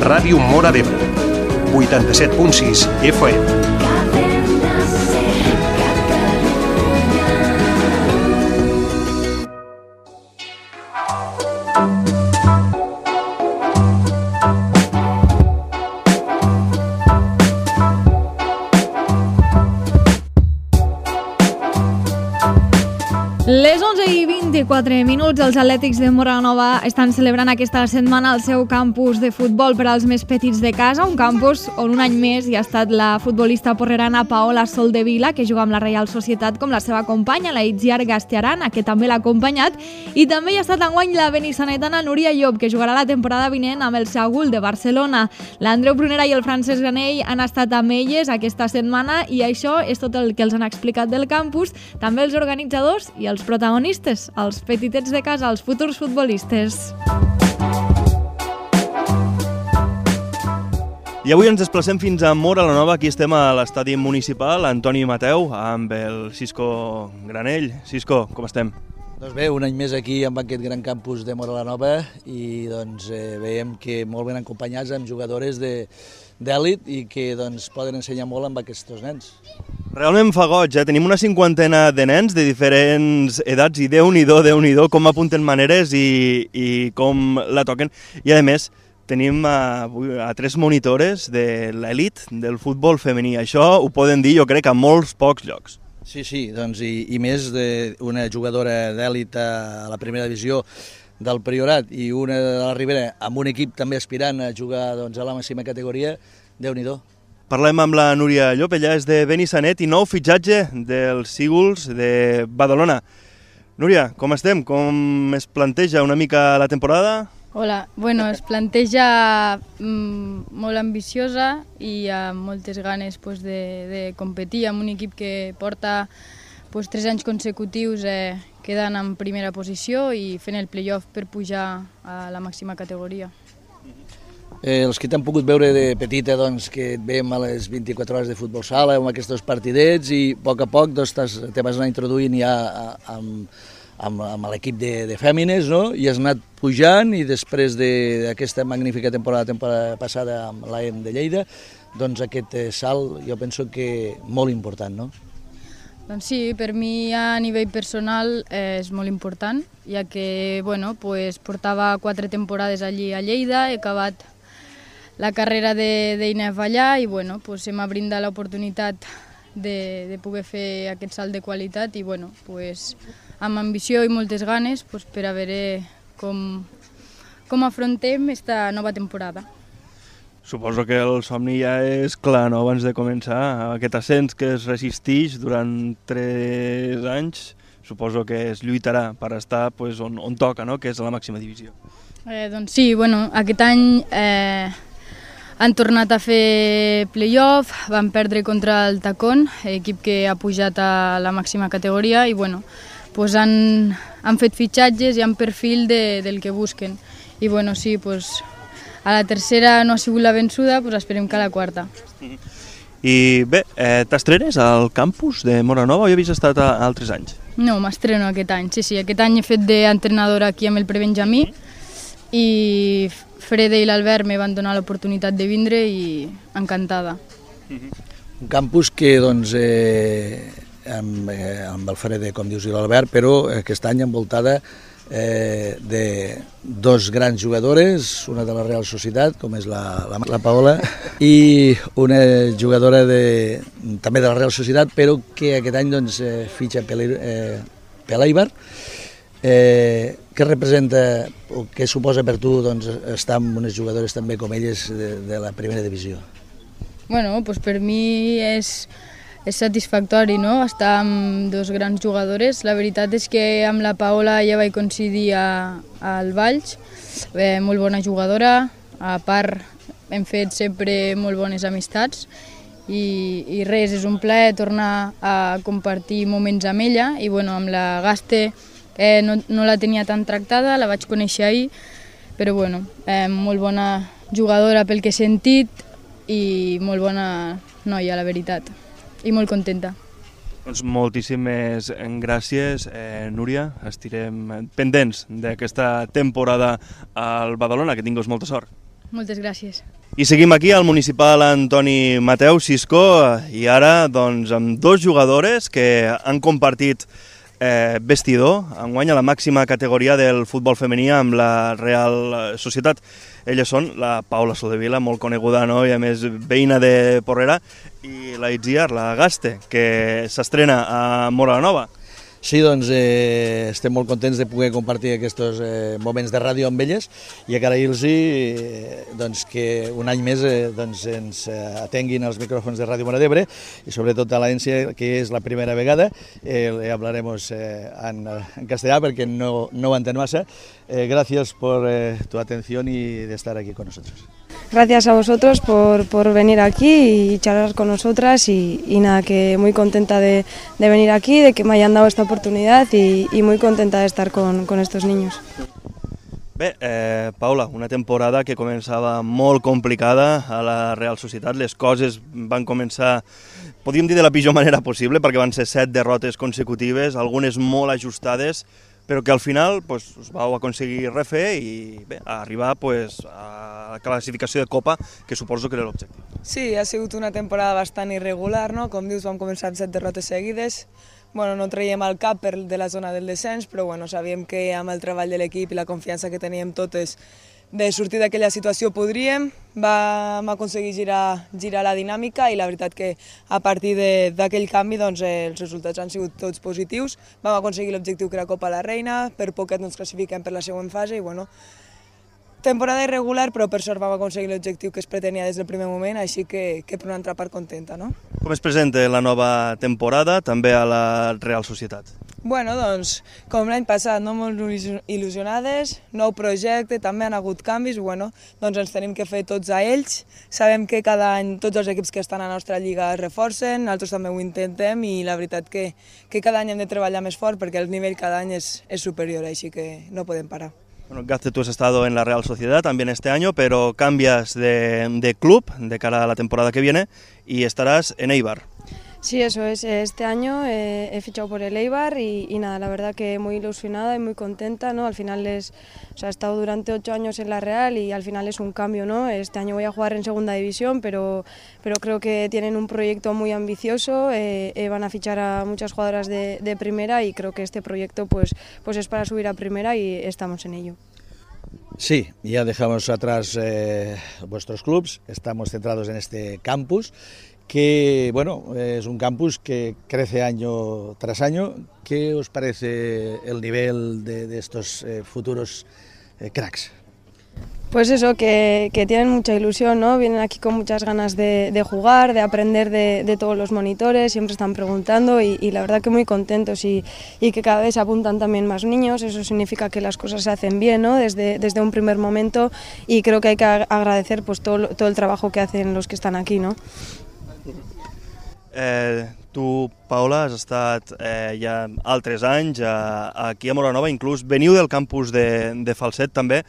Ràdio Móra d'Ebre, 87.6 FM. Les 11:24, els Atlètics de Móra la Nova estan celebrant aquesta setmana el seu campus de futbol per als més petits de casa, un campus on un any més hi ha estat la futbolista porrerana Paola Soldevila, que juga amb la Reial Societat, com la seva companya, la Itziar Gastiarana, que també l'ha acompanyat, i també hi ha estat enguany la benissanetana Núria Llop, que jugarà la temporada vinent amb el Sagul de Barcelona. L'Andreu Prunera i el Francesc Ganell han estat amb elles aquesta setmana i això és tot el que els han explicat del campus, també els organitzadors i els protagonistes, els petitets de casa, els futurs futbolistes. I avui ens desplacem fins a Móra la Nova. Aquí estem a l'estadi municipal Antoni Mateu amb el Cisco Granell. Cisco, com estem? Doncs bé, un any més aquí amb aquest gran campus de Móra la Nova i doncs veiem que molt ben acompanyats amb jugadores d'èlit i que doncs poden ensenyar molt amb aquests nens. Realment fa goig, Tenim una cinquantena de nens de diferents edats i Déu-n'hi-do, com apunten maneres i com la toquen. I a més, tenim a 3 monitores de l'elit del futbol femení. Això ho poden dir, jo crec, a molts pocs llocs. Sí, doncs i més d'una jugadora d'èlit a la primera divisió del Priorat i una de la Ribera amb un equip també aspirant a jugar doncs, a la màxima categoria, Déu-n'hi-do. Parlem amb la Núria Llop, ella és de Benissanet i nou fitxatge dels Sígols de Badalona. Núria, com estem? Com es planteja una mica la temporada? Hola, es planteja molt ambiciosa i amb moltes ganes de competir amb un equip que porta 3 anys consecutius quedant en primera posició i fent el play-off per pujar a la màxima categoria. Els que t'han pogut veure de petita, doncs, que et veiem a les 24 hores de futbol sala, amb aquests partidets, i a poc doncs, te vas anar introduint ja amb l'equip de fèmines, no? I has anat pujant, i després d'aquesta magnífica temporada passada amb l'AEM de Lleida, doncs aquest salt jo penso que molt important, no? Doncs sí, per mi a nivell personal és molt important, ja que portava 4 temporades allí a Lleida, he acabat la carrera d'INEF allà i m'ha brindat l'oportunitat de poder fer aquest salt de qualitat i amb ambició i moltes ganes per a veure com afrontem aquesta nova temporada. Suposo que el somni ja és clar, no?, abans de començar. Aquest ascens que es resisteix durant 3 anys, suposo que es lluitarà per estar on toca, no?, que és a la màxima divisió. Doncs sí, aquest any han tornat a fer play-off, van perdre contra el Tacón, equip que ha pujat a la màxima categoria, i han fet fitxatges i han perfil del que busquen. I sí, a la tercera no ha sigut la vençuda, esperem que a la quarta. I bé, t'estrenes al campus de Móra Nova o ja havies estat altres anys? No, m'estreno aquest any, sí. Aquest any he fet d'entrenadora aquí amb el prebenjamí i Freda i l'Albert me van donar l'oportunitat de vindre i encantada. Un campus que, doncs, amb el Freda, com dius, i l'Albert, però aquest any envoltada de 2 grans jugadores, una de la Real Societat, com és la Paola, i una jugadora també de la Real Societat, però que aquest any doncs, fitxa Peleibar. Què representa o què suposa per tu doncs, estar amb unes jugadores també com elles de la primera divisió? Per mi és satisfactori, no?, estar amb 2 grans jugadores. La veritat és que amb la Paola ja vaig coincidir al Valls, molt bona jugadora, a part hem fet sempre molt bones amistats i res, és un plaer tornar a compartir moments amb ella i amb la Gaste no la tenia tan tractada, la vaig conèixer ahir, però molt bona jugadora pel que he sentit i molt bona noia, la veritat, i molt contenta. Doncs moltíssimes gràcies, Núria. Estirem pendents d'aquesta temporada al Badalona, que tinguis molta sort. Moltes gràcies. I seguim aquí al municipal Antoni Mateu Siscó i ara doncs, amb dos jugadores que han compartit vestidor, enguany a la màxima categoria del futbol femení amb la Real Societat. Elles són la Paula Soldevila, molt coneguda, no? I a més veïna de Porrera, i la Itziar, la Gaste, que s'estrena a Móra la Nova. Sí, doncs estem molt contents de poder compartir aquests moments de ràdio amb elles i agrair-los doncs, que un any més ens atenguin als micròfons de Ràdio Móra d'Ebre i sobretot a l'Aència, que és la primera vegada. Hablaremos en castellà perquè no ho entén massa. Gracias por tu atención y de estar aquí con nosotros. Gracias a vosotros por venir aquí y charlar con nosotras y nada, que muy contenta de venir aquí, de que me hayan dado esta oportunidad y muy contenta de estar con estos niños. Bé, Paula, una temporada que començava molt complicada a la Real Societat. Les coses van començar, podríem dir, de la pitjor manera possible, perquè van ser 7 derrotes consecutives, algunes molt ajustades, però que al final us vau aconseguir refer i bé, arribar a la classificació de Copa, que suposo que era l'objectiu. Sí, ha sigut una temporada bastant irregular, no? Com dius, vam començar amb 7 derrotes seguides. No traiem el cap de la zona del descens, però sabíem que amb el treball de l'equip i la confiança que teníem totes de sortir d'aquella situació podríem. Vam aconseguir girar la dinàmica i la veritat que a partir d'aquell canvi els resultats han sigut tots positius. Vam aconseguir l'objectiu que era Copa la Reina, per poquet ens classifiquem per la següent fase i temporada irregular, però per sort vam aconseguir l'objectiu que es pretenia des del primer moment, així que per una altra part contenta, no? Com es presenta la nova temporada, també a la Real Societat? Com l'any passat, molt il·lusionades, nou projecte, també han hagut canvis, ens tenim que fer tots a ells. Sabem que cada any tots els equips que estan a la nostra lliga es reforcen, nosaltres també ho intentem i la veritat que cada any hem de treballar més fort perquè el nivell cada any és superior, així que no podem parar. Bueno, Gazte, tú has estado en la Real Sociedad también este año, pero cambias de club de cara a la temporada que viene y estarás en Eibar. Sí, eso es. Este año he fichado por el Eibar y nada, la verdad que muy ilusionada y muy contenta, ¿no? Al final he estado durante 8 años en la Real y al final es un cambio, ¿no? Este año voy a jugar en segunda división, pero creo que tienen un proyecto muy ambicioso, van a fichar a muchas jugadoras de primera y creo que este proyecto pues es para subir a primera y estamos en ello. Sí, ya dejamos atrás vuestros clubs, estamos centrados en este campus, que es un campus que crece año tras año. ¿Qué os parece el nivel de estos futuros cracks? Pues eso, que tienen mucha ilusión, ¿no? Vienen aquí con muchas ganas de jugar, de aprender de todos los monitores, siempre están preguntando y la verdad que muy contentos y que cada vez se apuntan también más niños. Eso significa que las cosas se hacen bien, ¿no? Desde un primer momento y creo que hay que agradecer pues todo el trabajo que hacen los que están aquí, ¿no? Tu, Paula, has estat ja altres anys aquí a Móra la Nova, inclús veniu del campus de Falset també.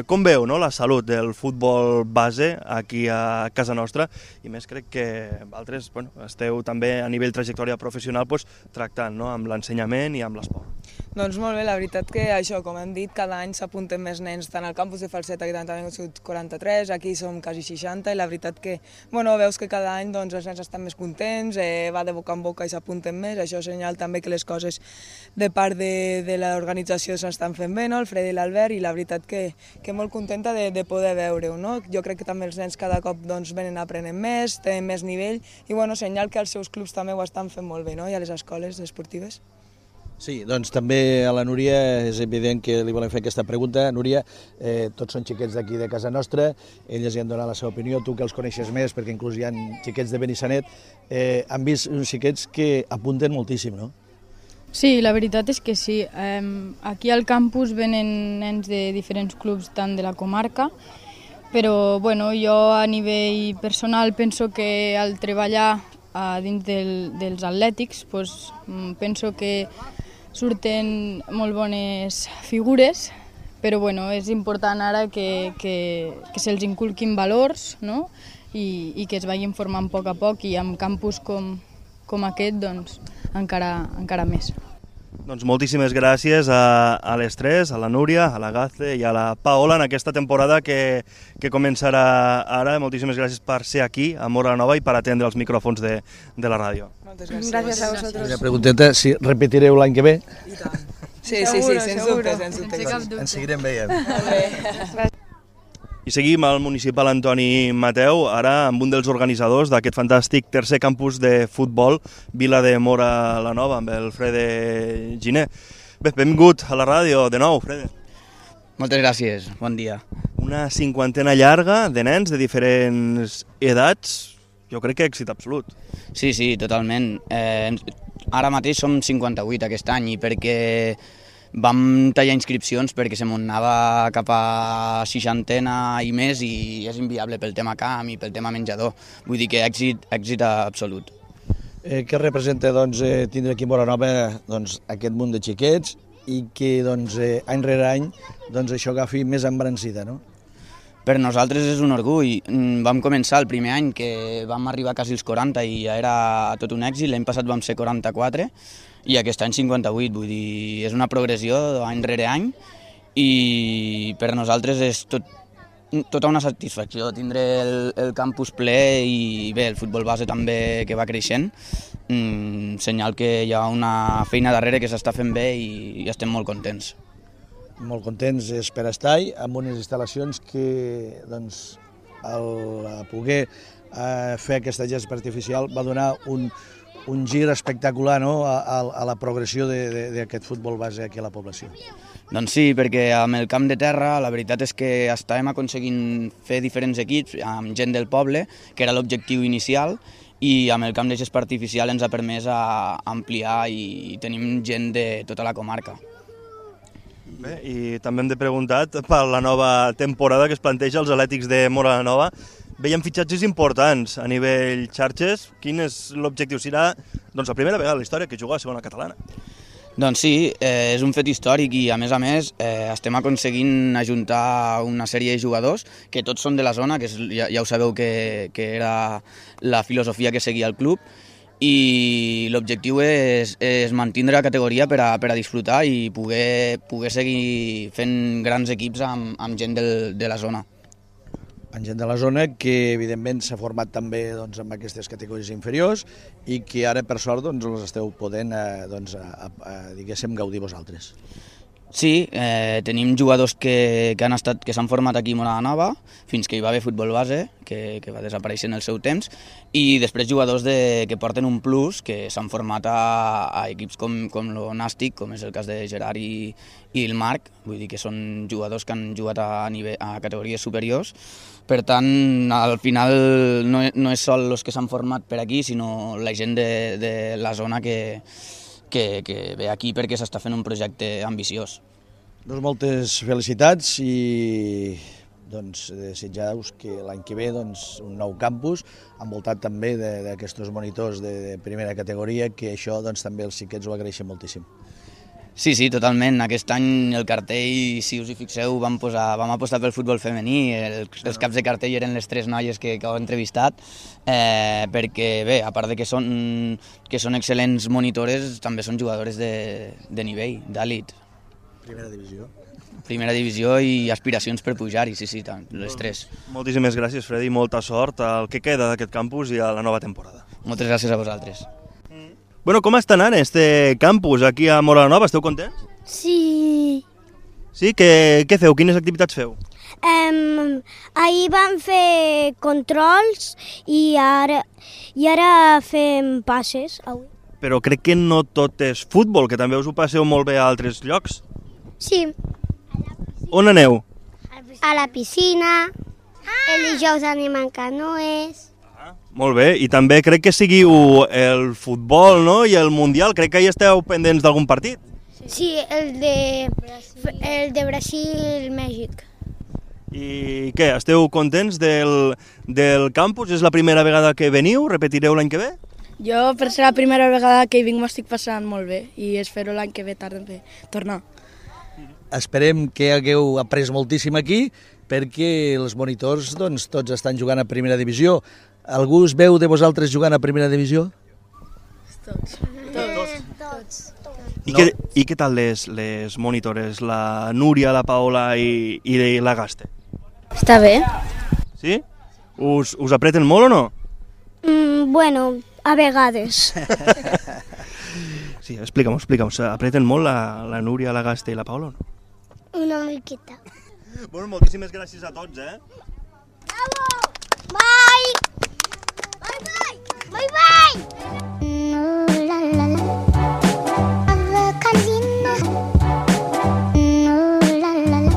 Com veu la salut del futbol base aquí a casa nostra? I més crec que vosaltres esteu també a nivell trajectòria professional tractant amb l'ensenyament i amb l'esport. Doncs molt bé, la veritat que això, com hem dit, cada any s'apunten més nens, tant al campus de Falset, aquí també han sigut 43, aquí som quasi 60, i la veritat que, veus que cada any els nens estan més contents, va de boca en boca i s'apunten més, això és senyal també que les coses de part de l'organització s'estan fent bé, el Fred i l'Albert, i la veritat que molt contenta de poder veure-ho, no? Jo crec que també els nens cada cop venen aprenent més, tenen més nivell, i senyal que els seus clubs també ho estan fent molt bé, no? I a les escoles esportives. Sí, doncs també a la Núria és evident que li volem fer aquesta pregunta. Núria, tots són xiquets d'aquí de casa nostra, elles hi han donat la seva opinió, tu que els coneixes més, perquè inclús hi ha xiquets de Benissanet, han vist uns xiquets que apunten moltíssim, no? Sí, la veritat és que sí. Aquí al campus venen nens de diferents clubs, tant de la comarca, però jo a nivell personal penso que al treballar dins dels atlètics penso que surten molt bones figures, però és important ara que se'ls inculquin valors, no? I que es vagin formant a poc i amb campus com aquest encara més. Doncs moltíssimes gràcies a les tres, a la Núria, a la Gaze i a la Paola en aquesta temporada que començarà ara. Moltíssimes gràcies per ser aquí a Móra la Nova i per atendre els micròfons de la ràdio. Moltes gràcies. Gràcies a vosaltres. Una pregunteta, si repetireu l'any que ve? I tant. Sí, sens dubte. Ens seguirem veient. I seguim al municipal Antoni Mateu, ara amb un dels organitzadors d'aquest fantàstic tercer campus de futbol, Vila de Móra la Nova, amb el Frede Giner. Bé, benvingut a la ràdio de nou, Frede. Moltes gràcies, bon dia. Una cinquantena llarga de nens de diferents edats, jo crec que èxit absolut. Sí, totalment. Ara mateix som 58 aquest any i perquè vam tallar inscripcions perquè se m'anava cap a 60 i més i és inviable pel tema camp i pel tema menjador. Vull dir que èxit absolut. Què representa tindre aquí a Móra Nova aquest munt de xiquets i que any rere any això agafi més embrancida, no? Per nosaltres és un orgull. Vam començar el primer any que vam arribar quasi als 40 i ja era tot un èxit. L'any passat vam ser 44 i aquest any 58, vull dir, és una progressió any rere any i per nosaltres és tota una satisfacció tindre el campus ple i bé, el futbol base també que va creixent, senyal que hi ha una feina darrere que s'està fent bé i estem molt contents. Molt contents és per estar-hi amb unes instal·lacions que al poder fer aquesta gespa artificial va donar un gir espectacular, no?, a la progressió d'aquest futbol base aquí a la població. Doncs sí, perquè amb el camp de terra la veritat és que estàvem aconseguint fer diferents equips amb gent del poble, que era l'objectiu inicial, i amb el camp de gespa artificial ens ha permès ampliar i tenim gent de tota la comarca. Bé, i també hem de preguntar per la nova temporada que es planteja als Atlètics de Móra la Nova. Veiem fitxatges importants a nivell xarxes. Quin és l'objectiu? Serà la primera vegada a la història que juga a segona catalana. Doncs sí, és un fet històric i a més estem aconseguint ajuntar una sèrie de jugadors que tots són de la zona, que ja ho sabeu que era la filosofia que seguia el club, i l'objectiu és mantenir la categoria per a disfrutar i poder seguir fent grans equips amb gent de la zona. Amb gent de la zona que evidentment s'ha format també amb aquestes categories inferiors i que ara per sort els esteu podent diguéssim gaudir vosaltres. Sí, tenim jugadors que s'han format aquí a Móra la Nova, fins que hi va haver futbol base, que va desaparèixer en el seu temps, i després jugadors que porten un plus, que s'han format a equips com lo Nàstic, com és el cas de Gerard i el Marc, vull dir que són jugadors que han jugat a categories superiors. Per tant, al final no és sol els que s'han format per aquí, sinó la gent de la zona que ve aquí perquè s'està fent un projecte ambiciós. Doncs moltes felicitats i desitjar-vos que l'any que ve un nou campus envoltat també d'aquests monitors de primera categoria, que això també els xiquets ho agraeixen moltíssim. Sí, totalment. Aquest any el cartell, si us hi fixeu, vam apostar pel futbol femení. Els caps de cartell eren les 3 noies que heu entrevistat, perquè bé, a part de que són excel·lents monitores, també són jugadores de nivell, d'elit. Primera divisió i aspiracions per pujar-hi, sí, les 3. Moltíssimes gràcies, Fredi, i molta sort al que queda d'aquest campus i a la nova temporada. Moltes gràcies a vosaltres. Bueno, com està anant este campus aquí a Móra la Nova? Esteu contents? Sí. Sí? Què feu? Quines activitats feu? Ahir vam fer controls i ara fem passes. Avui. Però crec que no tot és futbol, que també us ho passeu molt bé a altres llocs. Sí. On aneu? A la piscina, el dijous anem en canoes. Molt bé, i també crec que seguiu el futbol, no?, i el Mundial. Crec que hi esteu pendents d'algun partit. Sí, el de Brasil-Mèxic. I què, esteu contents del campus? És la primera vegada que veniu? Repetireu l'any que ve? Jo, per ser la primera vegada que hi vinc, m'estic passant molt bé i espero l'any que ve tornar. Esperem que hagueu après moltíssim aquí, perquè els monitors tots estan jugant a primera divisió. Algú us veu de vosaltres jugant a primera divisió? Tots. I què tal les monitores, la Núria, la Paola i la Gaste? Està bé. Sí? Us apreten molt o no? Bueno, a vegades. Sí, explica'm. Apreten molt la Núria, la Gaste i la Paola o no? Una miqueta. Bueno, moltíssimes gràcies a tots, Bravo! Bye! Bye! Bye! Bye! La la la. Calina. La la la.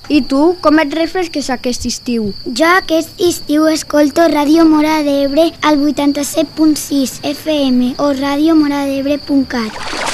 I tu, com et refresques aquest estiu? Jo aquest estiu escolto Ràdio Móra d'Ebre al 87.6 FM o radiomoradebre.cat.